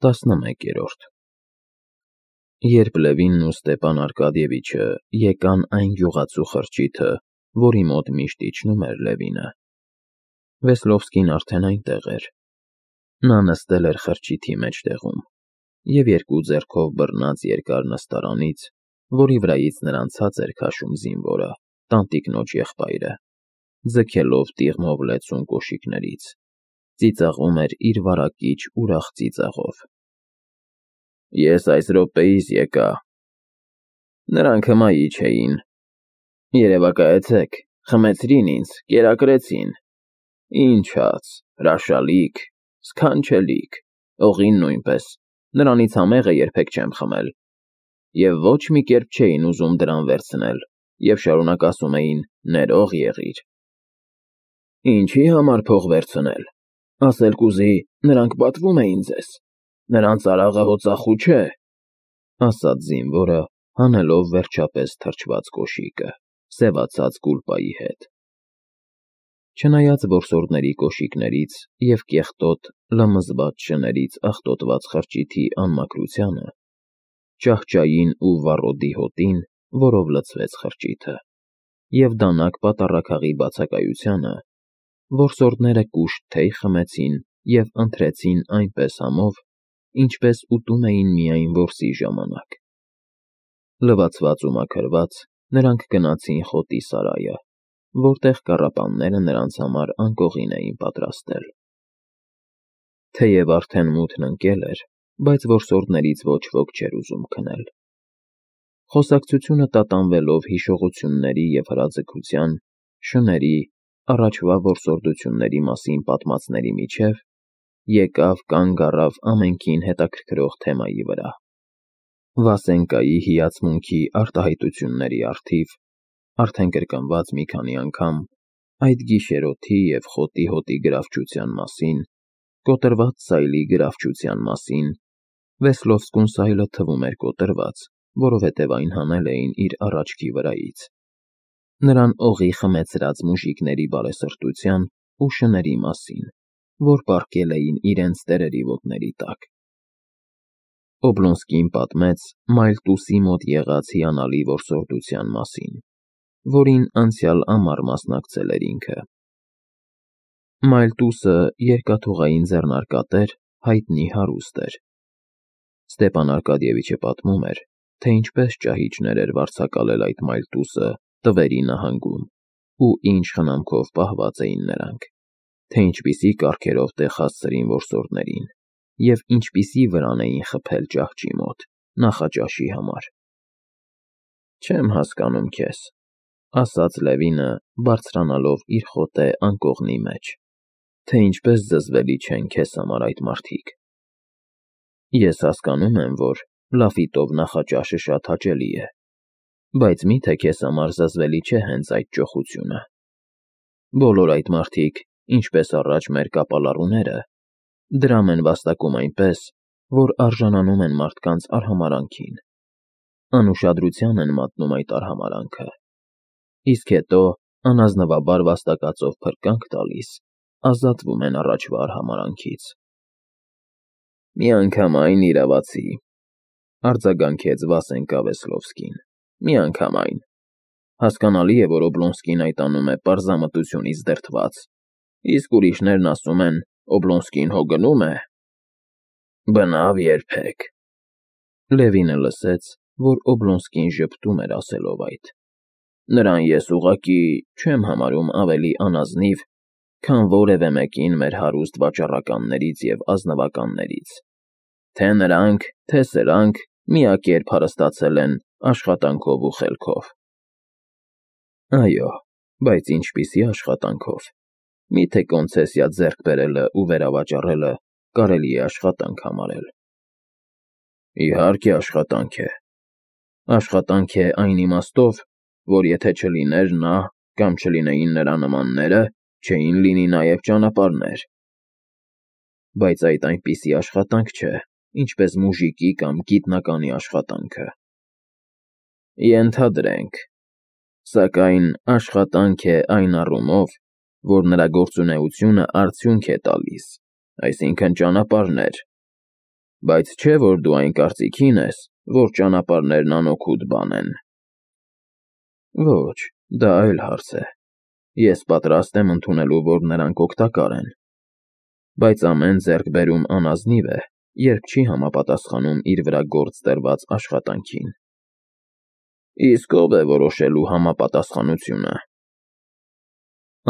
11-րդ Երբ Լևինն ու Ստեպան Արկադիևիչը եկան այն գյուղացու խրճիթը, որի մոտ միշտ իջնում էր Լևինը, Վեսլովսկին արդեն այնտեղ էր. նա նստել էր խրճիթի մեջտեղում և երկու ձեռքով բռնած երկար նստարանից, որի վրայից նրան ցած էր քաշում զինվորը, տանտիկնոջ եղբայրը, ձգելով տիղմով լեցուն կոշիկներից, ծիծաղում էր իր վարակիչ ուրախ ծիծաղով։ Ես այս րոպեիս եկա։ Նրանք հմայի չէին։ Երևակայեցեք, խմեցրին ինձ, կերակրեցին։ Ինչ հաց, հրաշալիք, սքանչելիք, օղին նույնպես, նրանից համեղը երբեք չեմ խմել։ Եվ ոչ մի կերպ չէին ուզում դրան վերցնել, և շարունակ ասում էին ներող եղիր։ Ինչի համար փող վերցնել, ասել կուզի, նրանք պատվում էին ձեզ, նրանց արաղը հո ծախու չէ, ասաց զինվորը, հանելով վերջապես թրջված կոշիկը, սևացած կուլպայի հետ։ Չնայած որսորդների կոշիկներից և կեղտոտ լմզված շներից աղտոտված խրճիթի անմաքրությանը, ճահճային ու վառոդի հոտին, որով լցվեց խրճիթը, և դանակ պատառաքաղի բացակայությանը, որսորդները կուշտ թեյ խմեցին և ընթրեցին այնպես համով, ինչպես ուտում էին միայն որսի ժամանակ։ Լվացված ու մաքրված, նրանք գնացին խոտի սարայը, որտեղ կառապանները նրանց համար անկողին էին պատրաստել։ Թեև արդեն մութն ընկել էր, բայց որսորդներից ոչ ոք չէր ուզում քնել։ Խոսակցությունը տատանվելով հիշողությունների և հրաձգության, շների, առաջվա որսորդությունների մասին պատմածների միջև, եկավ կանգ առավ ամենքին հետաքրքրող թեմայի վրա։ Վասենկայի հիացմունքի արտահայտությունների առթիվ, արդեն կրկնված մի քանի անգամ, այդ գիշերօթի և խոտի հոտի գրավչության մասին, կոտրված սայլի գրավչության մասին, Վեսլովսկուն սայլը թվում էր կոտրված, որովհետև այն հանել էին իր առաջքի վրայից, նրան օղի խմեցրած մուժիկների բարեսրտության ու շների մասին, որ պառկել էին իրենց տերերի ոտների տակ։ Օբլոնսկին պատմեց Մայլտուսի մոտ եղած հիանալի որսորդության մասին, որին անցյալ ամառ մասնակցել էր ինքը։ Մայլտուսը երկաթուղային ձեռնարկատեր, հայտնի հարուստ էր։ Ստեպան Արկադիևիչը պատմում էր, թե ինչպես ճահիճներ էր վարձակալել այդ Մայլտուսը Տվերի նահանգում ու ինչ խնամքով պահված էին նրանք, թե ինչպիսի կարգերով տեղ հասցրին որսորդներին և ինչպիսի վրան էին խփել ճահճի մոտ, նախաճաշի համար։ Չեմ հասկանում քեզ, ասաց Լևինը, բարձրանալով իր խոտե անկողնի մեջ, թե ինչպես զզվելի չեն քեզ համար այդ մարդիկ։ Ես հասկանում եմ, որ լաֆիտով նախաճաշը շատ հաճելի է, բայց մի՞թե քեզ համար զզվելի չէ հենց այդ ճոխությունը։ Բոլոր այդ մարդիկ, ինչպես առաջ մեր կապալառուները, դրամ են վաստակում այնպես, որ արժանանում են մարդկանց արհամարհանքին, անուշադրության են մատնում այդ արհամարհանքը, իսկ հետո, անազնվաբար վաստակածով փրկանք տալիս, ազատվում են առաջվա արհամարհանքից։ Միանգամայն իրավացի, արձագանքեց Վասենկա Վեսլովսկին, միանգամայն։ Հասկանալի է, որ Օբլոնսկին այդ անում է պարզամտությունից դրդված, իսկ ուրիշներն ասում են Օբլոնսկին հո գնում է։ Բնավ երբեք։ Լևինը լսեց, որ Օբլոնսկին ժպտում էր ասելով այդ։ Նրան ես ուղղակի չեմ համարում ավելի անազնիվ, քան որևէ մեկին մեր հարուստ վաճառականներից և ազնվականներից, թե նրանք, թե սրանք միակերպ հարստացել են աշխատանքով ու խելքով։ Այո, բայց ինչպիսի աշխատանքով։ Միթե կոնցեսիա ձեռք բերելը ու վերավաճառելը կարելի է աշխատանք համարել։ Իհարկե աշխատանք է։ Աշխատանք է այն իմաստով, որ եթե չլիներ նա կամ չլինեին նրա նմանները, չէին լինի նաև ճանապարհներ։ Բայց այդ այնպիսի աշխատանք չէ, ինչպես մուժիկի կամ գիտնականի աշխատանքը։ Ենթադրենք։ Սակայն աշխատանք է այն առումով, որ նրա գործունեությունը արդյունք է տալիս, այսինքն ճանապարհներ։ Բայց չէ, որ դու այն կարծիքին ես, որ ճանապարհներն անօգուտ բան են։ Ոչ, դա այլ հարց է։ Ես պատրաստ եմ ընդունելու, որ նրանք օգտակար են։ Բայց ամեն ձեռքբերում անազնիվ է, երբ չի համապատասխանում իր վրա գործ տրված աշխատանքին։ Իսկ ով է որոշելու համապատասխանությունը։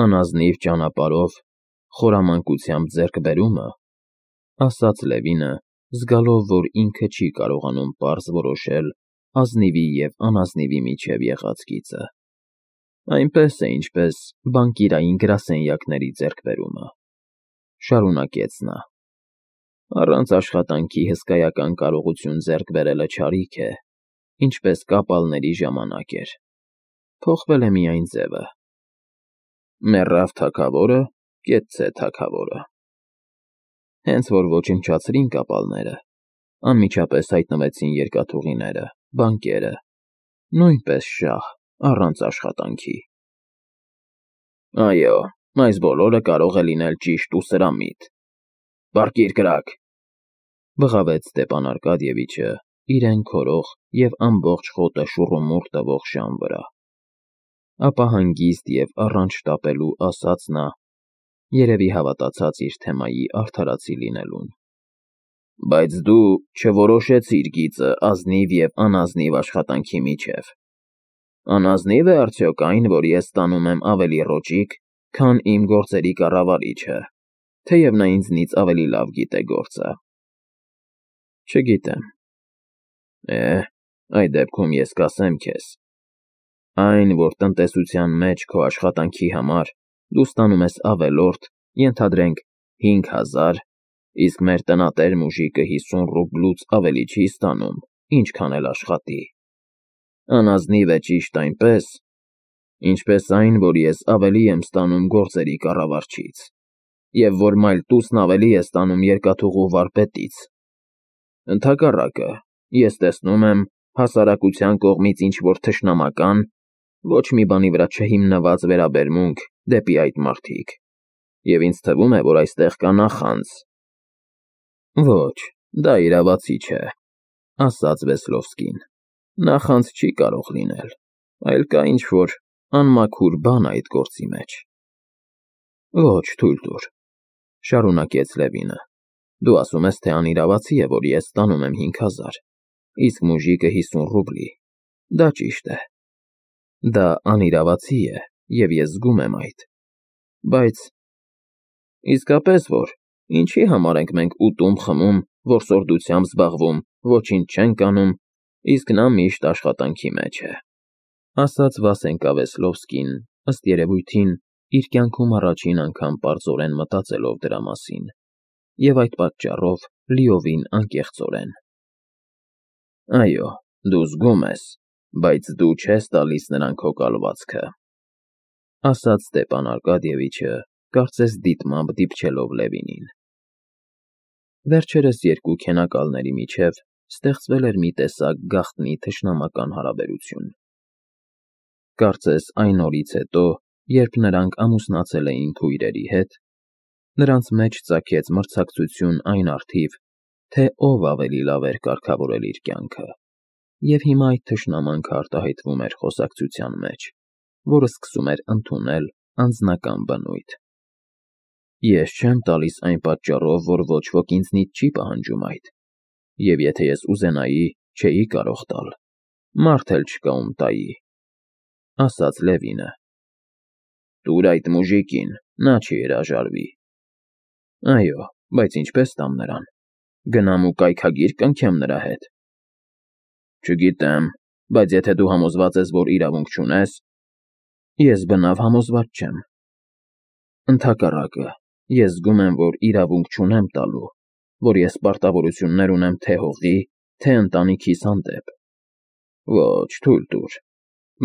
Անազնիվ ճանապարհով խորամանկությամբ ձեռքբերումը, ասաց Լևինը, զգալով, որ ինքը չի կարողանում պարզ որոշել ազնիվի և անազնիվի միջև եղած գիծը։ Այնպես է, ինչպես բանկիրային գրասենյակների ձեռքբերումը, շարունակեց նա։ Առանց աշխատանքի հսկայական կարողություն ձեռք բերելը չարիք է, ինչպես կապալների ժամանակ էր։ Փոխվել է միայն ձևը։ Մեռավ թագավորը, կեցցե թագավորը։ Հենց որ ոչնչացրին կապալները, անմիջապես հայտնվեցին երկաթուղիները, բանկերը, նույնպես շահ, առանց աշխատանքի։ Այո, այս բոլորը կարող է լինել ճիշտ ու սրամիտ։ Պառկիր կրակ, բղավեց Ստեփան Արկադիևիչը իրեն քորող և ամբողջ խոտը շուռումուռ տվող շան վրա։ Ապա հանգիստ և առանց շտապելու ասաց նա, երևի հավատացած իր թեմայի արդարացի լինելուն. Բայց դու չորոշեցիր գիծը ազնիվ և անազնիվ աշխատանքի միջև։ Անազնիվ է արդյոք այն, որ ես ստանում եմ ավելի ռոճիկ, քան իմ գործերի կառավարիչը, թեև նա ինձնից ավելի լավ գիտե գործը։ Չգիտեմ։ Այդ դեպքում ես կասեմ քեզ. այն, որ տնտեսության մեջ քո աշխատանքի համար դու ստանում ես ավելորդ, ենթադրենք 5000, իսկ մեր տնատեր մուժիկը 50 ռուբլուց ավելի չի ստանում, ինչքան էլ աշխատի։ Անազնիվ է ճիշտ այնպես, ինչպես այն, որ ես ավելի եմ ստանում գործերի կառավարչից, և որ մայլտուսն ավելի է ստանում երկաթուղու վարպետից։ Ընդհակառակը, ես տեսնում եմ հասարակության կողմից ինչ-որ թշնամական, ոչ մի բանի վրա չհիմնված վերաբերմունք դեպի այդ մարդիկ, և ինձ թվում է, որ այստեղ կա նախանձ։ Ոչ, դա իրավացի չէ, ասաց Վեսլովսկին։ Նախանձ չի կարող լինել, այլ կա ինչ-որ անմաքուր բան այդ գործի մեջ։ Ոչ, թույլ տուր, շարունակեց Լևինը։ Դու ասում ես, թե անիրավացի է, որ ես ստանում եմ 5000, իսկ մուժիկը 50 ռուբլի։ Դա ճիշտ է։ Դա անիրավացի է, և ես զգում եմ այդ։ Բայց… Իսկապես որ, ինչի համար ենք մենք ուտում-խմում, որսորդությամբ զբաղվում, ոչինչ չենք անում, իսկ նա միշտ աշխատանքի մեջ է, ասաց Վասենկա Վեսլովսկին, ըստ երևույթին, իր կյանքում առաջին անգամ պարզորեն մտածելով դրա մասին, և այդ պատճառով լիովին անկեղծորեն։ Այո, դու զգում ես, բայց դու չես տալիս նրան քո կալվածքը, ասաց Ստեփան Արկադիևիչը, կարծես դիտմամբ դիպչելով Լևինին։ Վերջերս երկու քենակալների միջև ստեղծվել էր մի տեսակ գաղտնի թշնամական հարաբերություն։ Կարծես այն օրից հետո, երբ նրանք ամուսնացել էին քույրերի հետ, նրանց մեջ ծագեց մրցակցություն այն առթիվ, թե ով ավելի լավ էր կարգավորել իր կյանքը, և հիմա այդ թշնամանքը արտահայտվում էր խոսակցության մեջ, որը սկսում էր ընդունել անձնական բնույթ։ Ես չեմ տալիս այն պատճառով, որ ոչ ոք ինձնից չի պահանջում այդ, և եթե ես ուզենայի, չէի կարող տալ, մարդ էլ չկա, ում տայի, ասաց Լևինը։ Տուր այդ մուժիկին, նա չի հրաժարվի։ Այո, բայց ինչպես տամ նրան, գնամ ու կայքագիր կնքեմ նրա հետ։ Չգիտեմ, բայց եթե դու համոզված ես, որ իրավունք չունես… Ես բնավ համոզված չեմ։ Ընդհակառակը, ես զգում եմ, որ իրավունք չունեմ տալու, որ ես պարտավորություններ ունեմ թե հողի, թե ընտանիքիս հանդեպ։ Ոչ, թույլ տուր։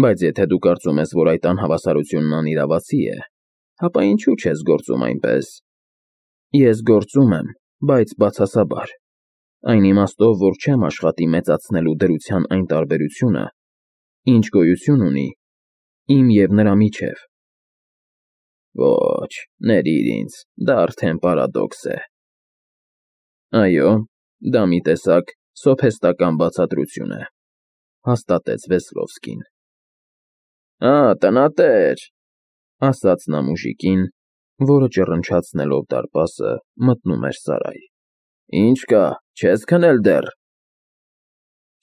Բայց եթե դու կարծում ես, որ այդ անհավասարությունն անիրավացի է, ապա ինչու չես գործում այնպես։ Ես գործում եմ, բայց բացասաբար, այն իմաստով, որ չեմ աշխատի մեծացնելու դրության այն տարբերությունը, ինչ գոյություն ունի իմ և նրա միջև։ Ոչ, ներիր ինձ, դա արդեն պարադոքս է։ Այո, Դա մի տեսակ սոփեստական բացատրություն է, հաստատեց Վեսլովսկին։ Տնատեր, ասաց նա մուժիկին, որը ճռնչացնելով դարպասը մտնում էր սարայ։ Ինչ կա, չես քնել դեռ։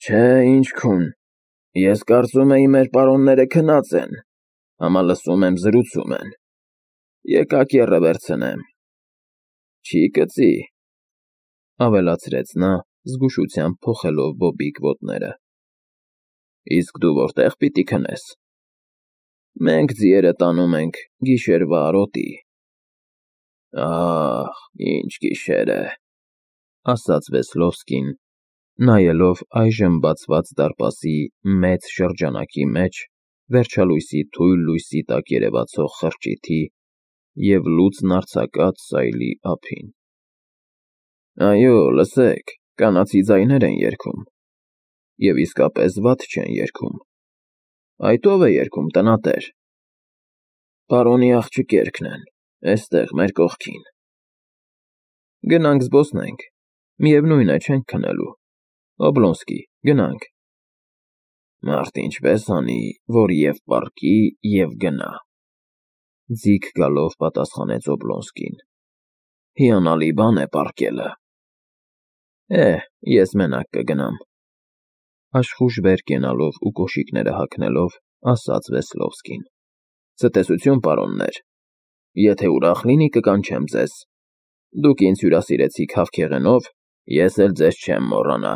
Չէ, ինչ քուն։ Ես կարծում էի մեր պարոնները քնած են, համա լսում եմ զրուցում են։ Եկա կեռը վերցնեմ։ Չի կծի, ավելացրեց նա, զգուշությամբ փոխելով բոբիկ ոտները։ Իսկ դու որտեղ պիտի քնես։ Մենք ձիերը տանում ենք գիշերվա արոտի։ Ահ, ինչ գիշեր է, ասաց Վեսլովսկին, նայելով այժմ բացված դարպասի մեծ շրջանակի մեջ վերջալույսի թույլ լույսի տակ երևացող խրճիթի և լուծն արձակած սայլի ափին։ Այո, լսեք, կանացի ձայներ են երգում, և իսկապես վատ չեն երգում։ Այդ ո՞վ է երգում, տնատեր։ Պարոնի աղջիկերքն են, էստեղ մեր կողքին։ Գնանք զբոսնենք, միևնույն է, չենք քնելու։ Օբլոնսկի, գնանք։ Մարդ ինչպես անի, որ և պառկի, և գնա։ Ձիգ գալով պատասխանեց Օբլոնսկին։ Հիանալի բան է պառկելը։ Ես մենակ կգնամ, աշխույժ վեր կենալով ու կոշիկները հագնելով, ասաց Վեսլովսկին։ Ցտեսություն, պարոններ, եթե ուրախ լինի կկանչեմ ձեզ։ Դուք ինձ հյուրասիրեցիք հավքեղենով, ես էլ ձեզ չեմ մոռանա։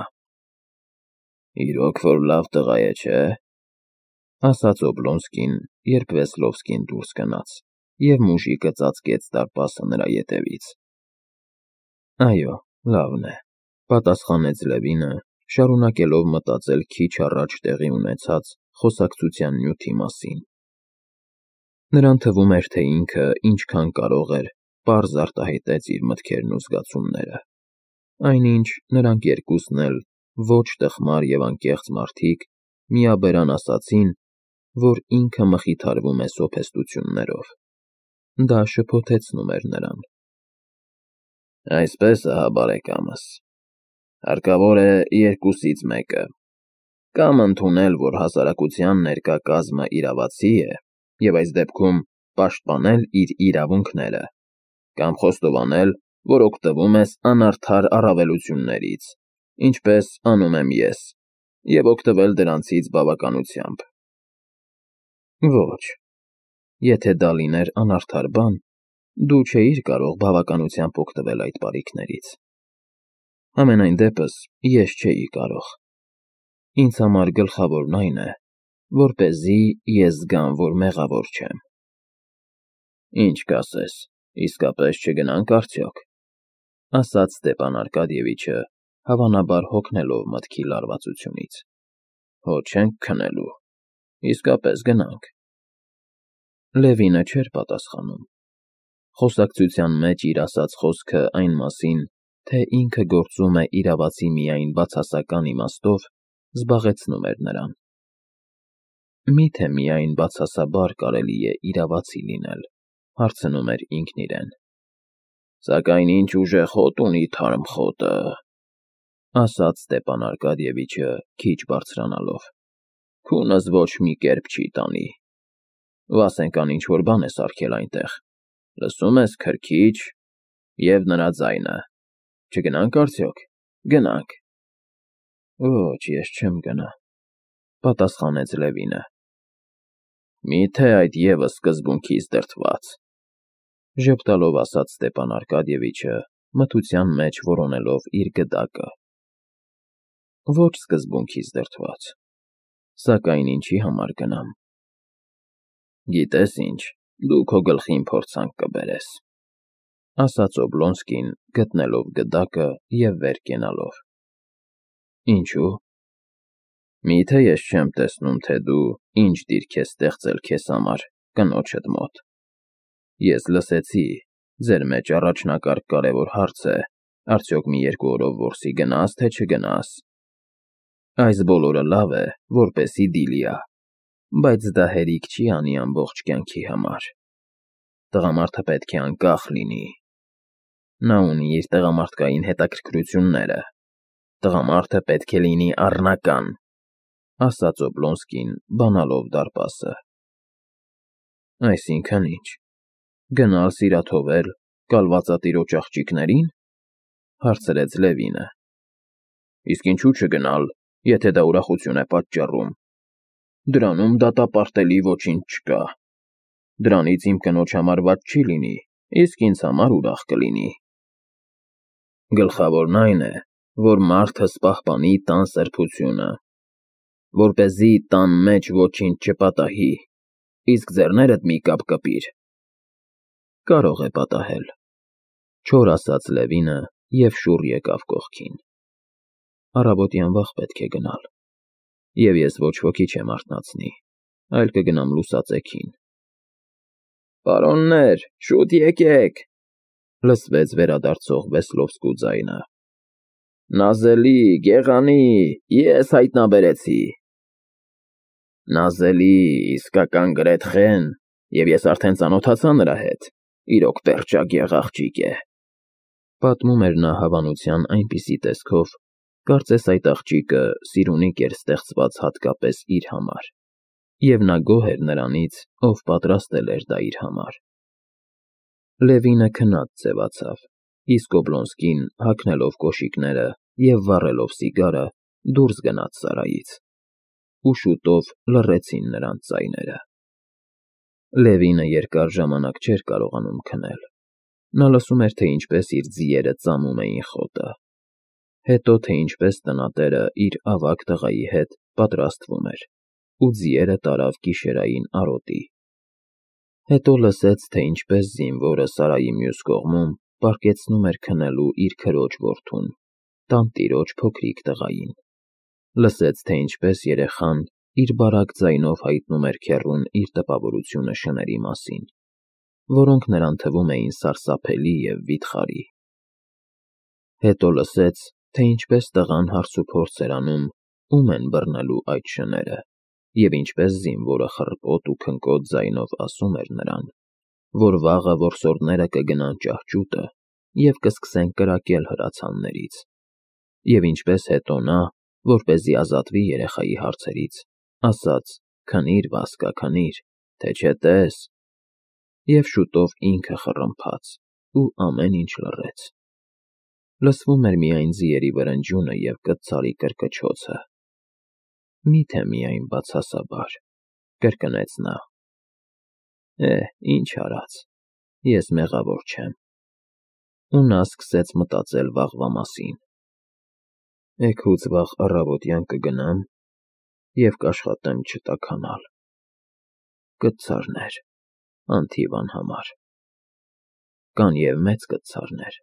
Իրոք որ լավ տղա է, չէ՞, ասաց Օբլոնսկին, երբ Վեսլովսկին դուրս գնաց, և մուժիկը ծածկեց դարպասը նրա ետևից։ Այո, լավն է, պատասխանեց Լևինը, շարունակելով մտածել քիչ առաջ տեղի ունեցած խոսակցության նյութի մասին։ Նրան թվում էր, թե ինքը ինչքան կարող էր, պարզ արտահայտեց իր մտքերն ու զգացումները, այնինչ նրանք երկուսն էլ ոչ տխմար և անկեղծ մարդիկ միաբերան ասացին, որ ինքը մխիթարվում է սոփեստություններով։ Դա շփոթեցնում էր նրան։ Այսպես ահա, բարեկամս, հարկավոր է երկուսից մեկը. կամ ընդունել, որ հասարակության ներկա կազմը իրավացի է, և այս դեպքում պաշտպանել իր իրավունքները, կամ խոստովանել, որ օգտվում ես անարդար առավելություններից, ինչպես անում եմ ես, և օգտվել դրանցից բավականությամբ։ Ոչ, եթե դա լիներ անարդար բան, դու չէիր կարող բավականությամբ օգտվել այդ բարիքներից։ Համենայն դեպս, ես չէի կարող։ Ինձ համար գլխավորն այն է, որպեսզի ես զգամ, որ մեղավոր չեմ։ Ինչ կասես, իսկապես չգնանք արդյոք, ասաց Ստեպան Արկադիևիչը, հավանաբար հոգնելով մտքի լարվածությունից։ Հո չենք քնելու, իսկապես գնանք։ Լևինը չէր պատասխանում։ Խոսակցության մեջ իր ասած խոսքը այն մասին, թե ինքը գործում է իրավացի միայն բացասական իմաստով, զբաղեցնում էր նրան։ Միթե միայն բացասաբար կարելի է իրավացի լինել, հարցնում էր ինքն իրեն։ Սակայն ինչ ուժեղ հոտ ունի թարմ խոտը, ասաց Ստեպան Արկադիևիչը, քիչ բարձրանալով։ Քունս ոչ մի կերպ չի տանի։ Վասենկան ինչ-որ բան է սարքել այնտեղ։ Լսում ես քրքիջ և նրա ձայնը։ Չգնանք արդյոք, գնանք։ Ոչ, ես չեմ գնա, պատասխանեց Լևինը։ Միթե այդ ևս սկզբունքից դրդված, ժպտալով ասաց Ստեպան Արկադիևիչը, մթության մեջ որոնելով իր գդակը։ Ոչ սկզբունքից դրդված, սակայն ինչի համար գնամ։ Գիտես ինչ, դու քո գլխին փորձանք կբերես, ասաց Օբլոնսկին, գտնելով գդակը և վեր կենալով։ Ինչու՞։ Միթե ես չեմ տեսնում, թե դու ինչ դիրք ես ստեղծել քեզ համար կնոջդ մոտ։ Ես լսեցի, ձեր մեջ առաջնակարգ կարևոր հարց է, արդյոք մի երկու օրով որսի գնաս, թե չգնաս։ Այս բոլորը լավ է, որպեսի դիլիա, բայց դա հերիք չի անի ամբողջ կյանքի համար։ Տղամարդը պետք է անկախ լինի։ Նա ունի իր տղամարդկային հետաքրքրությունները, Տղամարդը պետք է լինի առնական, ասաց Օբլոնսկին, բանալով դարպասը։ Այսինքն ինչ, գնալ սիրաթովել կալվածատիրոջ աղջիկներին, հարցրեց Լևինը։ Իսկ ինչու չգնալ, եթե դա ուրախություն է պատճառում։ Դրանում դատապարտելի ոչինչ չկա։ Դրանից իմ կնոջ համար վատ չի լինի, իսկ ինձ համար ուրախ կլինի։ Գլխավորն այն է, որ մարդը պահպանի տան սրբությունը, որպեսզի տան մեջ ոչինչ չպատահի, իսկ ձեռներդ մի կապ կպիր։ Կարող է պատահել, չոր ասաց Լևինը և շուռ եկավ կողքին։ Առավոտյան վաղ պետք է գնալ, և ես ոչ ոքի չեմ արթնացնի, այլ կգնամ լուսածեքին։ Պարոններ, շուտ եկեք, լսվեց վերադարձող Վեսլովսկու ձայնը։ Նազելի, գեղանի, ես հայտնաբերեցի։ Նազելի, իսկական գրեթխեն, և ես արդեն ծանոթացա նրա հետ, իրոք պերճագեղ աղջիկ է։ Պատմում էր նա հավանության այնպիսի տեսքով, կարծես այդ աղջիկը սիրունիկ էր ստեղծված հատկապես իր համար, և նա գոհ էր նրանից, ով պատրաստել էր դա իր համար։ Լևինը քնած ձևացավ, իսկ Օբլոնսկին, հագնելով կոշիկները և վառելով սիգարը, դուրս գնաց սարայից, ու շուտով լռեցին նրանց ձայները։ Լևինը երկար ժամանակ չէր կարողանում քնել։ Նա լսում էր, թե ինչպես իր ձիերը ծամում էին խոտը, հետո թե ինչպես տնատերը իր ավագ տղայի հետ պատրաստվում էր, ու ձիերը տարավ գիշերային արոտի։ Հետո լսեց, թե ինչպես զինվորը սարայի մյուս կողմում պառկեցնում էր քնելու իր քրոջ որդուն, տանտիրոջ փոքրիկ տղային։ Լսեց, թե ինչպես երեխան իր բարակ ձայնով հայտնում էր քեռուն իր տպավորությունը շների մասին, որոնք նրան թվում էին սարսափելի և վիթխարի։ Հետո լսեց, թե ինչպես տղան հարցուփորձ էր անում, ում են բռնելու այդ շները, և ինչպես զինվորը խռպոտ ու քնկոտ ձայնով ասում էր նրան, որ վաղը որսորդները կգնան ճահճուտը և կսկսեն կրակել հրացաններից, և ինչպես հետո նա, որպեսզի ազատվի երեխայի հարցերից, ասաց. «Քնիր, Վասկա, քնիր, թե չէ տես», և շուտով ինքը խռմփաց, ու ամեն ինչ լռեց։ Լսվում էր միայն ձիերի վրնջյունը և կծարի կրկչոցը։ Մի՞թե միայն բացասաբար, կրկնեց նա։ Ինչ արած, ես մեղավոր չեմ։ Ու նա սկսեց մտածել վաղվա մասին։ Էգուց վաղ առավոտյան կգնամ և կաշխատեմ չտաքանալ։ Կծարներ, անթիվ անհամար։ Կան և մեծ կծարներ։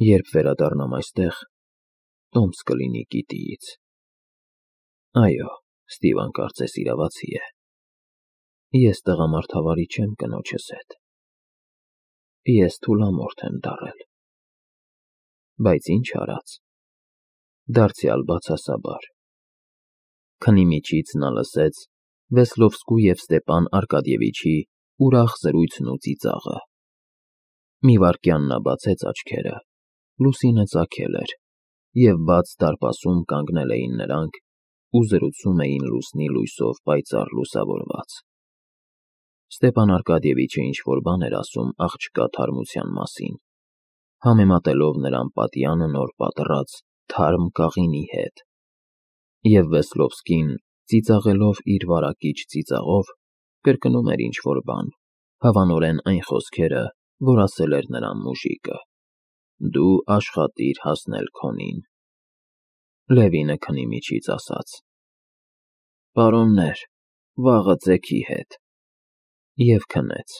Երբ վերադառնամ այստեղ, տոմս կլինի գիտիից։ Այո, Ստիվան կարծես իրավացի է։ Ես տղամարդավարի չեմ կնոջս հետ։ Ես թուլամորթ եմ դառել։ Բայց ինչ արած, դարձյալ բացասաբար։ Քնի միջից նա լսեց Վեսլովսկու և Ստեպան Արկադիևիչի ուրախ զրույցն ու ծիծաղը։ Մի վայրկյան նա բացեց աչքերը, լուսինը ծագել էր, և բաց դարպասում կանգնել էին նրանք ու զրուցում էին լուսնի լույսով պայծառ լուսավորված։ Ստեպան Արկադիևիչը ինչ-որ բան էր ասում աղջկա թարմության մասին, համեմատելով նրան պատյանը նոր պատռած թարմ կաղինի հետ, և Վեսլովսկին, ծիծաղելով իր վարակիչ ծիծաղով, կրկնում էր ինչ-որ բան, հավանորեն այն խոսքերը, որ ասել էր նրան մուժիկը. «Դու աշխատիր հասնել քոնին»։ Լևինը քնի միջից ասաց. «Պարոններ, վաղը ձեքի հետ», և քնեց։